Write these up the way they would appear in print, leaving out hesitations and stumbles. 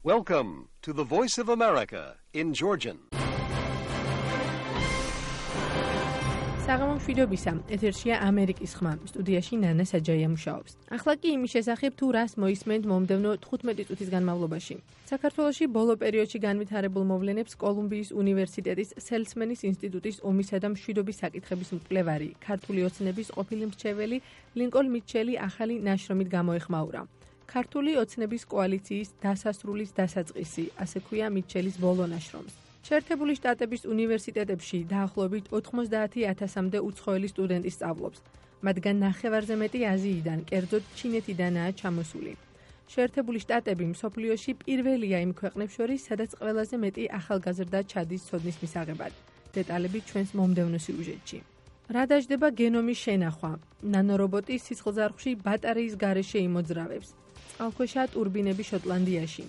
Welcome to the Voice of America in Georgian. საღამომშვიდობისა, ეთერშია ამერიკის ხმა, სტუდიაში ნანა საჯაია მუშაობს. ახლა კი იმის შესახებ თუ რას მოისმენთ მომდევნო 15 წუთის განმავლობაში. საქართველოში ბოლო პერიოდში განვითარებულ მოვლენებს კოლუმბიის უნივერსიტეტის სელცმენის ინსტიტუტის ომისა და მშვიდობის საკითხების მკვლევარი, ქართული ოცნების ყოფილი მრჩეველი ლინკოლ მიჩელი ახალი ნაშრომით გამოეხმაურა. ქართული ოცნების კოალიციის დასასრულის დასაწყისი, ასე ქვია მიჩელის ბოლო ნაშრომს. შეერთებული შტატების უნივერსიტეტებში დაახლოებით 90,000-მდე უცხოელი სტუდენტი სწავლობს. მათგან ნახევარზე მეტი აზიიდან, კერძოდ ჩინეთიდანაა ჩამოსული. შეერთებული შტატები მსოფლიოში პირველია იმ ქვეყნებს შორის, სადაც ყველაზე მეტი ახალგაზრდა ჩადის ცოდნის მისაღებად. დეტალები ჩვენს მომდევნო სიუჟეტში. რა დაждდება გენომის შენახვა? ნანორობოტი სისხლძარღვში ბატარეის გარეშე იმოძრავებს. წყალქვეშა ტურბინები შოტლანდიაში.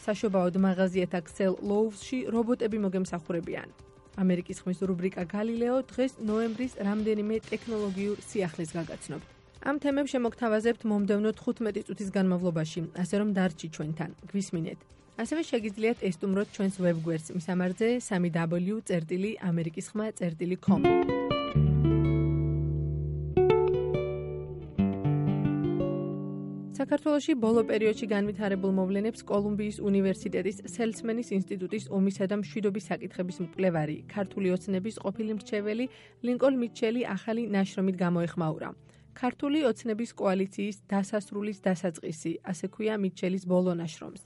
საშობაოდ მაღაზიათა ქსელ ლოუვსში რობოტები მოგემსახურებიან. ამერიკის ხმის რუბრიკა გალილეო დღეს ნოემბრის რამდენიმე ტექნოლოგიურ სიახლეს გაგაცნობთ. ამ თემებს შემოგთავაზებთ მომდევნო 15 წუთის განმავლობაში, ასე რომ დარჩი ჩვენთან, გვისმინეთ. ასევე შეგიძლიათ ესტუმროთ ჩვენს ვებგვერდს მისამართზე www.amerikiskhma.com. საქართველოში ბოლო პერიოდში განვითარებულ მოვლენებს კოლუმბიის უნივერსიტეტის სელცმენის ინსტიტუტის ომისა და მშვიდობის საკითხების მკვლევარი, ქართული ოცნების ყოფილი მრჩეველი ლინკოლ მიჩელი ახალი ნაშრომით გამოეხმაურა. ქართული ოცნების კოალიციის დასასრულის დასაწყისი, ასე ქვია მიჩელის ბოლო ნაშრომს.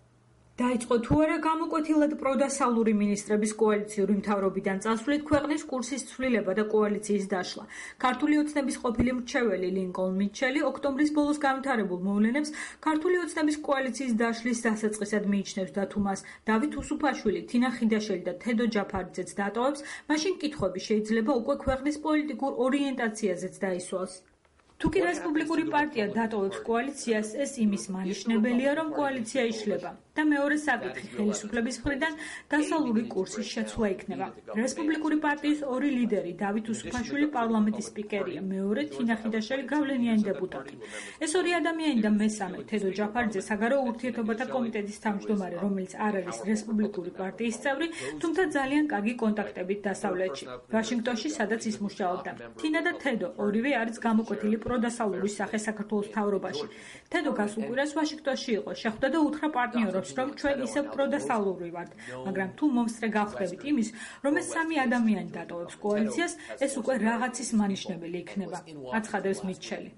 დაიწყო თუ არა გამოკვეთილად პროდასავლური მინისტრების კოალიციური მთავრობიდან წასვლით ქვეყნის კურსის ცვლილება და კოალიციის დაშლა. ქართული ოცნების ყოფილი მრჩეველი ლინკოლ მიჩელი ოქტომბრის ბოლოს განვითარებულ მოვლენებს ქართული ოცნების კოალიციის დაშლის დასაწყისად მიიჩნევს და თუ მას დავით უსუფაშვილი, თინა ხიდაშელი და თედო ჯაფარიძეც დატოვებს, მაშინ კითხვები შეიძლება უკვე ქვეყნის პოლიტიკურ ორიენტაციაზეც დაისვას. თუკი რესპუბლიკური პარტია დატოვებს კოალიციას, ეს იმის მანიშნებელია, რომ კოალიცია იშლება და მეორე საკითხი ხელისუფლების მხრიდან დასავლური კურსის შეცვლა იქნება. რესპუბლიკური პარტიის ორი ლიდერი, დავით უსუფაშვილი პარლამენტის სპიკერია, მეორე თინა ხიდაშელი გავლენიანი დეპუტატი. ეს ორი ადამიანი და მესამე თედო ჯაფარიძე საგარეო ურთიერთობათა კომიტეტის თავმჯდომარე, რომელიც არ არის რესპუბლიკური პარტიის წევრი, თუმცა ძალიან კარგი კონტაქტებით დასავლეთში, ვაშინგტონში, სადაც ის მუშაობდა. თინა და თედო ორივე არის გამოკვეთილი პროდასავლური სახე საქართველოს მთავრობაში. თედო გასულ კვირას ვაშინგტონში იყო, შეხვდა და უთხრა პარტნიორებს, რომ ჩვენ ისევ პროდასავლური ვართ, მაგრამ თუ მომსწრე გავხდებით იმის, რომ ეს სამი ადამიანი დატოვებს კოალიციას, ეს უკვე რაღაცის მანიშნებელი იქნება, აცხადებს მიჩელი.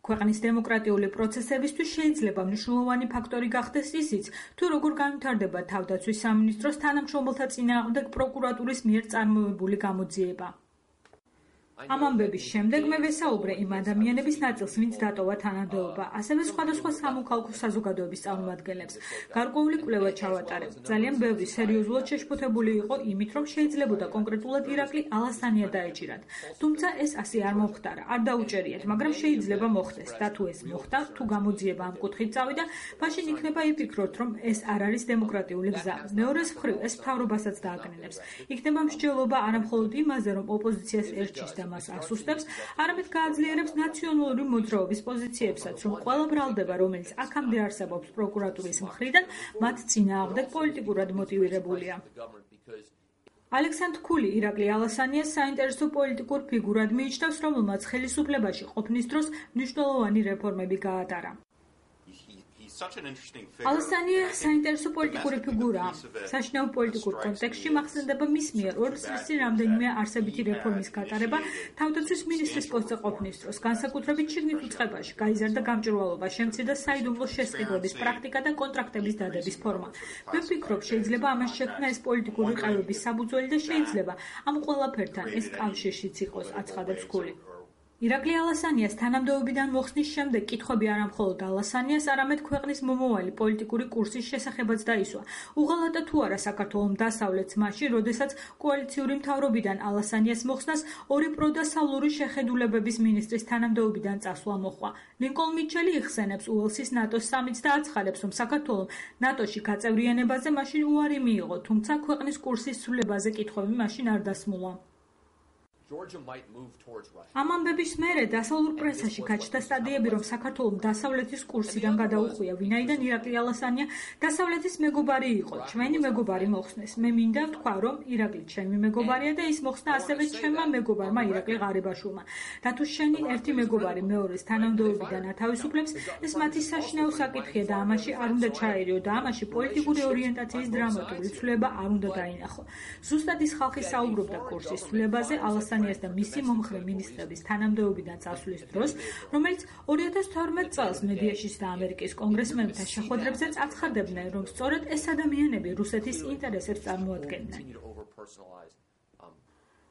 ქვეყნის დემოკრატიული პროცესებისთვის შეიძლება მნიშვნელოვანი ფაქტორი გახდეს ისიც, თუ როგორ განვითარდება თავდაცვის სამინისტროს თანამშრომელთა წინააღმდეგ პროკურატურის მიერ წარმოებული გამოძიება. ამ ამბების შემდეგ მე ვესაუბრე იმ ადამიანების ნაწილს, ვინც დატოვა თანადოობა, ასევე სხვადასხვა სამოქალაქო საზოგადოების წარმომადგენლებს. გარკვეული კვლევა ჩავატარე. ძალიან ბევრი სერიოზულად შეშფოთებული იყო იმით, რომ შეიძლებოდა კონკრეტულად ირაკლი ალასანია დაეჭირათ. თუმცა ეს ასე არ მომხდარა, არ დაუჭერიათ, მაგრამ შეიძლება მოხდეს და თუ ეს მოხდა, თუ გამოძიება ამ კუთხით წავიდა, მაშინ იქნება იფიქროთ, რომ ეს არ არის დემოკრატიული გზა. მეორეს მხრივ ეს მთავრობასაც დააკნინებს. იქნება მსჯელობა არამხოლოდ იმაზე, რომ ოპოზიციას ერჩის და მას ასუსტებს, არამედ გააძლიერებს ნაციონალური მოძრაობის პოზიციებსაც, რომ ყველა ბრალდება, რომელიც აქამდე არსებობს პროკურატურის მხრიდან, მათ წინააღმდეგ პოლიტიკურად მოტივირებულია. ალექსანდრ ქული ირაკლი ალასანიას საინტერესო პოლიტიკურ ფიგურად მიიჩნევს, რომელმაც ხელისუფლებაში ყოფნის დროს მნიშვნელოვანი რეფორმები გაატარა. ალასანია საინტერესო პოლიტიკური ფიგურაა. საშინაო პოლიტიკურ კონტექსტში მახსენდება მის მიერ ორს წლის რამდენიმე არსებითი რეფორმის გატარება თავდაცვის მინისტრის პოსტზე ყოფნის დროს, განსაკუთრებით შიგნით უწყებაში, გაიზარდა გამჭვირვალობა, შემცირდა საიდუმლო შესყიდვების პრაქტიკა და კონტრაქტების დადების ფორმა. მე ვფიქრობ, შეიძლება ამას შექმნა ეს პოლიტიკური ყევების საფუძველი და შეიძლება ამ ყველაფერთან ეს კავშირშიც იყოს, აცხადებს ქული. ირაკლი ალასანიას თანამდებობიდან მოხსნის შემდეგ კითხვები არა მხოლოდ ალასანიას, არამედ ქვეყნის მომავალი პოლიტიკური კურსის შესახებაც დაისვა. უღალატა თუ არა საქართველოს დასავლეთს მაშინ, როდესაც კოალიციური მთავრობიდან ალასანიას მოხსნას ორი პროდასავლური შეხედულებების მინისტრის თანამდებობიდან წასვლა მოჰყვა. ლინკოლ მიჩელი იხსენებს უელსის ნატოს სამიტს და აცხადებს, რომ საქართველოს ნატოში გაწევრიანებაზე მაშინ უარი მიიღო, თუმცა ქვეყნის კურსის ცვლილებაზე კითხვები მაშინ არ დასმულა. ამ ამბების მერე დასავლურ პრესაში გაჩნდა სტატიები, რომ საქართველოს დასავლეთის კურსიდან გადაუხვია, ვინაიდან ირაკლი ალასანია დასავლეთის მეგობარი იყო. ჩვენი მეგობარი მოხსნეს. მე მინდა ვთქვა, რომ ირაკლი ჩემი მეგობარია და ის მოხსნა ასევე ჩემმა მეგობარმა ირაკლი ღარიბაშვილმა. და თუ შენი ერთი მეგობარი მეორეს თანამდებობიდან ათავისუფლებს, ეს მათი საშინაო საკითხია და ამაში არ უნდა ჩაერიო და ამაში პოლიტიკური ორიენტაციის დრამატული ცვლილება არ უნდა დაინახო. ზუსტად ის ხალხი საუბრობდა კურსის ცვლილებაზე ალასანიას და მისი მომხრე მინისტრების თანამდებობიდან წასვლის დროს, რომელიც 2012 წელს მედიაში და ამერიკის კონგრესმენებთან შეხვედრებზეც აცხადებდნენ, რომ სწორედ ეს ადამიანები რუსეთის ინტერესებს წარმოადგენდნენ.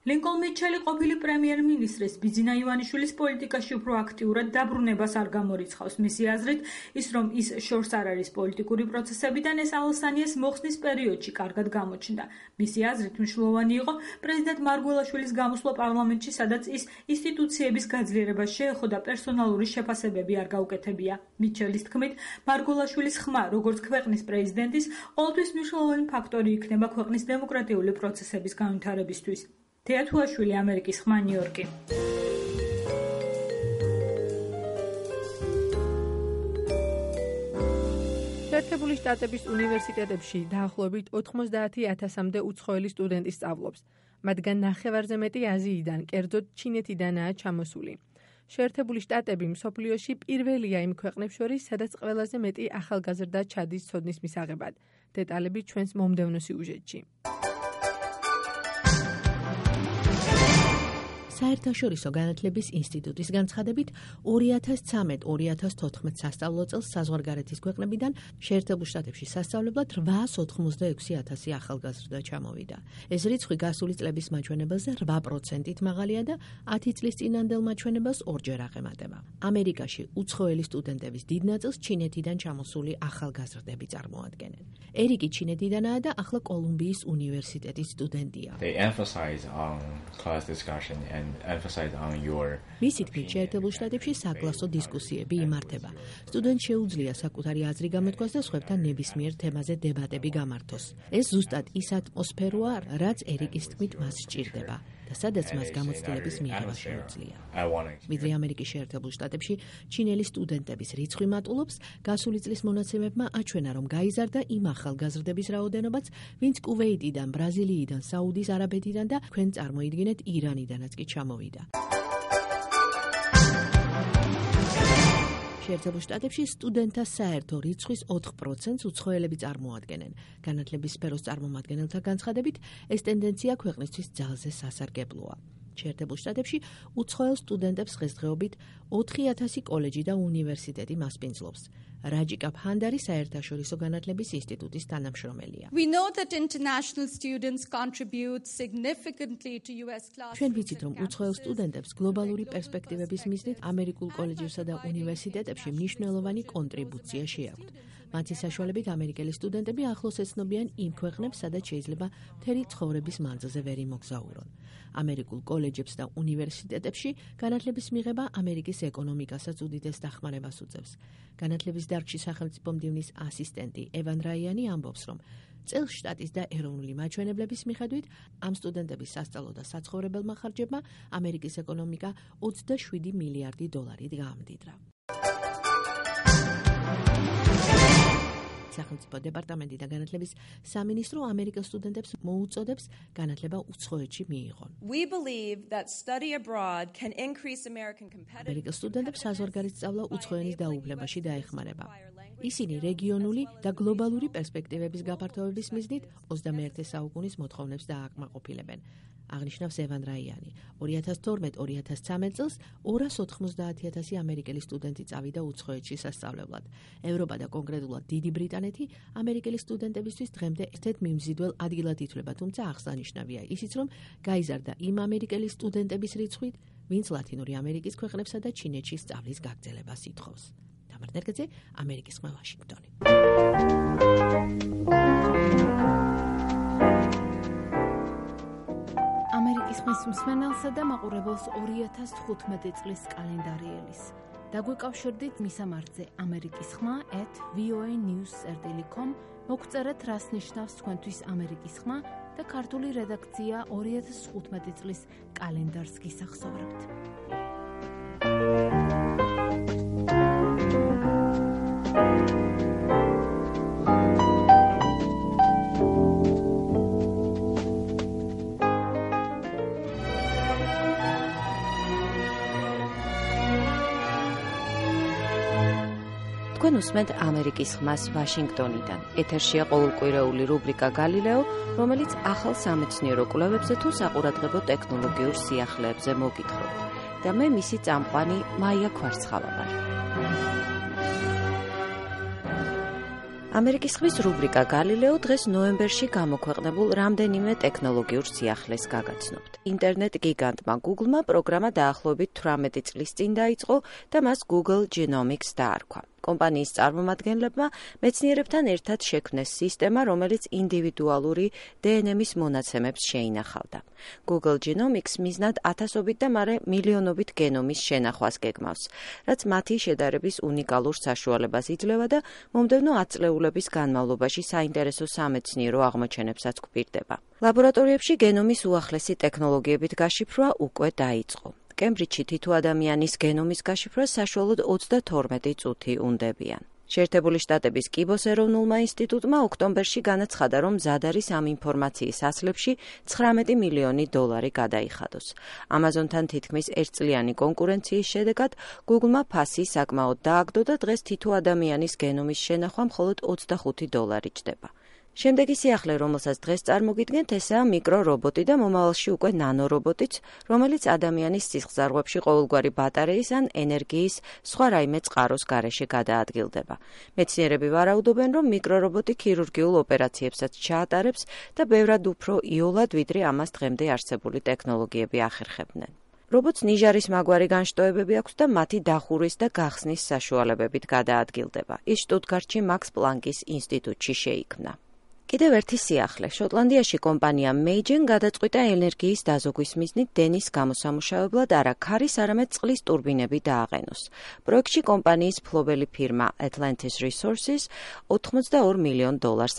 ლინკოლნ მიჩელი ყოფილი პრემიერ-მინისტრის ბიძინა ივანიშვილის პოლიტიკაში უფრო აქტიურად დაბრუნებას არ გამორიცხავს. მისი აზრით, ის რომ ის შორს არ არის პოლიტიკური პროცესებიდან, ეს ალასანიას მოხსნის პერიოდში კარგად გამოჩნდა. მისი აზრით, მნიშვნელოვანი იყო პრეზიდენტ მარგველაშვილის გამოსვლა პარლამენტში, სადაც ის ინსტიტუციების გაძლიერებას შეეხო და პერსონალური შეფასებები არ გაუკეთებია. მიჩელის თქმით, მარგველაშვილის ხმა, როგორც ქვეყნის პრეზიდენტის, ყოველთვის მნიშვნელოვანი ფაქტორი იქნება ქვეყნის დემოკრატიული პროცესების განვითარებისთვის. თეათუაშვილი, ამერიკის ხმა, ნიუ-იორკი. შეერთებული შტატების უნივერსიტეტებში დაახლოებით 90,000-მდე უცხოელი სტუდენტი სწავლობს. მათგან ნახევარზე მეტი აზიიდან, კერძოდ ჩინეთიდანაა ჩამოსული. შეერთებული შტატები მსოფლიოში პირველია იმ ქვეყნებს შორის, სადაც ყველაზე მეტი ახალგაზრდა ჩადის ცოდნის მისაღებად. დეტალები ჩვენს მომდევნო სიუჟეტში. საერთაშორისო განათლების ინსტიტუტის განცხადებით 2013-2014 სასწავლო წელს საზღვარგარეთის ქვეყნებიდან შეერთებულ შტატებში სასწავლებლად 886,000 ახალგაზრდა ჩამოვიდა. ეს რიცხვი გასული წლების მაჩვენებელზე 8%-ით მაღალია და 10 წლის წინანდელ მაჩვენებელს ორჯერ აღემატება. ამერიკაში უცხოელი სტუდენტების დიდ ნაწილს ჩინეთიდან ჩამოსული ახალგაზრდები წარმოადგენენ. ერიკი ჩინეთიდანაა და ახლა კოლუმბიის უნივერსიტეტის სტუდენტია. მისი თქმით, შეერთებულ შტატებში საკლასო დისკუსიები იმართება. სტუდენტს შეუძლია საკუთარი აზრი გამოთქვას და სხვებთან ნებისმიერ თემაზე დებატები გამართოს. ეს ზუსტად ის ატმოსფეროა, რაც ერიკის თქმით მას სჭირდება და სადაც მას გამოცდილების მიღება შეუძლია. ვიდრე ამერიკის შეერთებულ შტატებში ჩინელი სტუდენტების რიცხვი მატულობს, გასული წლის მონაცემებმა აჩვენა, რომ გაიზარდა იმ ახალგაზრდების რაოდენობაც, ვინც კუვეიტიდან, ბრაზილიიდან, საუდის არაბეთიდან და თქვენ წარმოიდგინეთ ირანიდანაც კი ჩამოვიდა. შეერთებულ შტატებში სტუდენტთა საერთო რიცხვის 4%-ს უცხოელები წარმოადგენენ. განათლების სფეროს წარმომადგენელთა განცხადებით, ეს ტენდენცია ქვეყნისთვის ძალზე სასარგებლოა. შეერთებულ შტატებში უცხოელ სტუდენტებს დღესდღეობით 4,000 კოლეჯი და უნივერსიტეტი მასპინძლობს. რაჯიკა ფანდარი საერთაშორისო განათლების ინსტიტუტის თანამშრომელია. ჩვენ ვიცით, რომ უცხოელ სტუდენტებს გლობალური პერსპექტივების მიზნით ამერიკულ კოლეჯებსა და უნივერსიტეტებში მნიშვნელოვანი კონტრიბუცია შეაქვთ. მათი საშუალებით ამერიკელი სტუდენტები ახლოს ეცნობიან იმ ქვეყნებს, სადაც შეიძლება მთელი ცხოვრების მანძილზე ვერ იმოგზაურონ. ამერიკულ კოლეჯებს და უნივერსიტეტებში განათლების მიღება ამერიკის ეკონომიკასაც უდიდეს დახმარებას უწევს. განათლების დარგში სახელმწიფო მდივნის ასისტენტი ევან რაიანი ამბობს, რომ წელს შტატის და ეროვნული მაჩვენებლების მიხედვით ამ სტუდენტების სასწავლო და საცხოვრებელმა ხარჯებმა ამერიკის ეკონომიკა 27 მილიარდი დოლარით გაამდიდრა. სახელმწიფო დეპარტამენტი და განათლების სამინისტრო ამერიკელ სტუდენტებს მოუწოდებს განათლება უცხოეთში მიიღონ. ამერიკელ სტუდენტებს საზღვარგარეთ სწავლა უცხოენის დაუფლებაში დაეხმარება. ისინი რეგიონული და გლობალური პერსპექტივების გაფართოების მიზნით 21 საუკუნის მოთხოვნებს დააკმაყოფილებენ. აღნიშნავს ევან რაიანი. 2012-2013 წელს 290,000 ამერიკელი სტუდენტი წავიდა უცხოეთში სასწავლებლად. ევროპა და კონკრეტულად დიდი ბრიტანეთი ამერიკელი სტუდენტებისთვის დღემდე ერთ-ერთ მიმზიდველ ადგილად ითვლება, თუმცა აღსანიშნავია ისიც, რომ გაიზარდა იმ ამერიკელი სტუდენტების რიცხვით, ვინც ლათინური ამერიკის ქვეყნებსა და ჩინეთში სწავლის გაგრძელებას ითხოვს. თამარ ნერგაძე, ამერიკის ხმა, ვაშინგტონი. ამერიკის ხმის მსმენელსა და მაყურებელს 2015 წლის კალენდარი ელის. დაგვეკავშირდით მისამართზე ამერიკის ხმა @voanews.com მოგწერეთ რას ნიშნავს თქვენთვის ამერიკის ხმა და ქართული რედაქცია 2015 წლის კალენდარს გისახსოვრებთ. თქვენ უსმენთ ამერიკის ხმას ვაშინგტონიდან. ეთერშია ყოველკვირეული რუბრიკა გალილეო, რომელიც ახალ სამეცნიერო კვლევებზე თუ საყურადღებო ტექნოლოგიურ სიახლეებზე მოგითხრობთ. და მე მისი წამყვანი მაია ქვარცხავა ვარ. ამერიკის ხმის რუბრიკა გალილეო დღეს ნოემბერში გამოქვეყნებულ რამდენიმე ტექნოლოგიურ სიახლეს გაგაცნობთ. ინტერნეტ გიგანტმა Google-მა პროგრამა დაახლოებით 18 წლის წინ დაიწყო და მას Google Genomics დაარქვა. კომპანიის წარმომადგენლებმა მეცნიერებთან ერთად შექმნეს სისტემა, რომელიც ინდივიდუალური დნმ-ის მონაცემებს შეინახავდა. Google Genomics მიზნად ათასობით და მერე მილიონობით გენომის შენახვას გეგმავს, რაც მათი შედარების უნიკალურ საშუალებას იძლევა და მომდევნო 10 წლეულების განმავლობაში საინტერესო სამეცნიერო აღმოჩენებსაც გვპირდება. ლაბორატორიებში გენომის უახლესი ტექნოლოგიებით გაშიფრვა უკვე დაიწყო. კემბრიჯში თითო ადამიანის გენომის გაშიფრვას საშუალოდ 32 წუთი უნდებიან. შეერთებული შტატების კიბოს ეროვნულმა ინსტიტუტმა ოქტომბერში განაცხადა, რომ მზად არის ამ ინფორმაციის ასლებში 19 მილიონი დოლარი გადაიხადოს. ამაზონთან თითქმის ერთწლიანი კონკურენციის შედეგად Google-მა ფასი საკმაოდ დააგდო და დღეს თითო ადამიანის გენომის შენახვა მხოლოდ 25 დოლარი ჯდება. შემდეგი სიახლე, რომელსაც დღეს წარმოგიდგენთ, ესაა მიკრორობოტი და მომავალში უკვე ნანორობოტიც, რომელიც ადამიანის სისხლძარღვებში ყოველგვარი ბატარეის ან ენერგიის სხვა რაიმე წყაროს გარეშე გადაადგილდება. მეცნიერები ვარაუდობენ, რომ მიკრორობოტი ქირურგიულ ოპერაციებსაც ჩაატარებს და ბევრად უფრო იოლად, ვიდრე ამას დღემდე არსებული ტექნოლოგიები ახერხებდნენ. რობოტს ნიჟარის მაგვარი განშტოებები აქვს და მათი დახურვის და გახსნის საშუალებებით გადაადგილდება. ის შტუტგარტში მაქს პლანკის ინსტიტუტში შეიქმნა. კიდევ ერთი სიახლე. შოტლანდიაში კომპანია Meigen გადაწყვიტა ენერგიის დაზოგვის მიზნით დენის გამოსამუშავებლად არა ქარის, არამედ წყლის ტურბინები დააყენოს. პროექტში კომპანიის ფლობელი ფირმა Atlantis Resources $82 მილიონ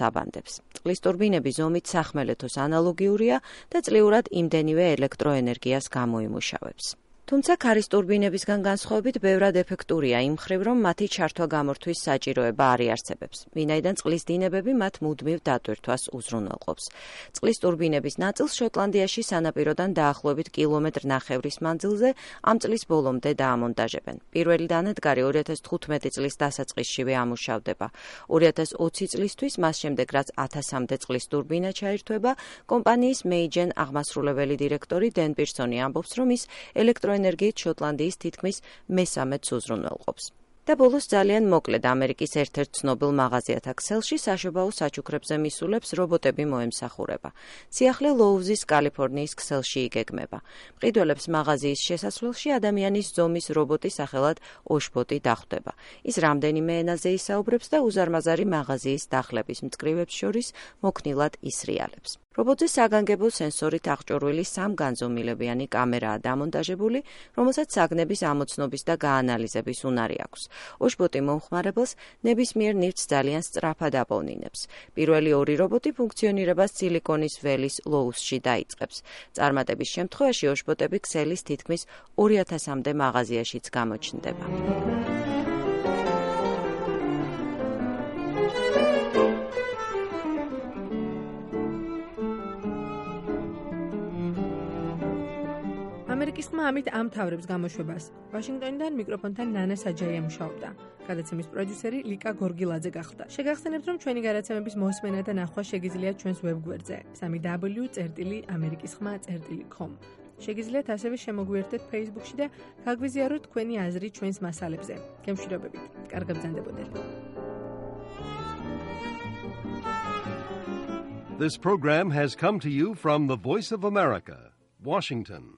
აბანდებს. წყლის ტურბინები ზომით სახმელეთოს ანალოგიურია და წლიურად იმდენივე ელექტროენერგიას გამოიმუშავებს. თუმცა ქარის ტურბინებისგან განსხვავებით ბევრად ეფექტურია იმ მხრივ, რომ მათი ჩართვა გამორთვის საჭიროება არ იარსებებს, ვინაიდან წყლის დინებები მათ მუდმივ დატვირთვას უზრუნველყოფს. წყლის ტურბინების ნაწილს შოტლანდიაში სანაპიროდან დაახლოებით კილომეტრ-ნახევრის მანძილზე ამ წლის ბოლომდე დაამონტაჟებენ. პირველი დანადგარი 2015 წლის დასაწყისშივე ამუშავდება. 2020 წლისთვის, მას შემდეგ რაც 1000-მდე წყლის ტურბინა ჩაირთვება, კომპანიის Meigen აღმასრულებელი დირექტორი დენ პირსონი ამბობს, რომ ის ელექტროენერგიით შოტლანდიის თითქმის მესამედს უზრუნველყოფს. და ბოლოს ძალიან მოკლედ ამერიკის ერთ-ერთ ცნობილ მაღაზიათა ქსელში საშობაო საჩუქრებზე მისულებს რობოტები მოემსახურება. სიახლე ლოუზის კალიფორნიის ქსელში იგეგმება. მყიდველებს მაღაზიის შესასვლელში ადამიანის ზომის რობოტი სახელად ოშბოტი დახვდება. ის რამდენიმე ენაზე ისაუბრებს და უზარმაზარი მაღაზიის დახლების მწკრივებს შორის მოქნილად ისრიალებს. რობოტზე საგანგებო სენსორით აღჭურვილი 3 განზომილებიანი კამერაა დამონტაჟებული, რომელსაც საგნების ამოცნობის და გაანალიზების უნარი აქვს. ოშბოტი მომხმარებელს ნებისმიერ ნივთს ძალიან სწრაფად აპოვნინებს. პირველი 2 რობოტი ფუნქციონირებას სილიკონის ველის ლოუსში დაიწყებს. წარმატების შემთხვევაში ოშბოტები ქსელის თითქმის 2000-მდე მაღაზიაშიც გამოჩნდება. ამერიკის ხმა ამით ამთავრებს გამოშვებას. ვაშინგტონიდან მიკროფონთან ნანა საჯაია მუშაობდა. გადაცემის პროდიუსერი ლიკა გორგილაძე გახდა. შეგახსენებთ, რომ ჩვენი გადაცემების მოსმენა და ნახვა შეგიძლიათ ჩვენს ვებგვერდზე www.amerikiskhma.com. შეგიძლიათ ასევე შემოგვიერთდეთ Facebook-ში და გაგვიზიაროთ თქვენი აზრი ჩვენს მასალებზე. გემშვიდობებით. კარგ გაბრძანებოდეთ. This program has come to you from the Voice of America, Washington.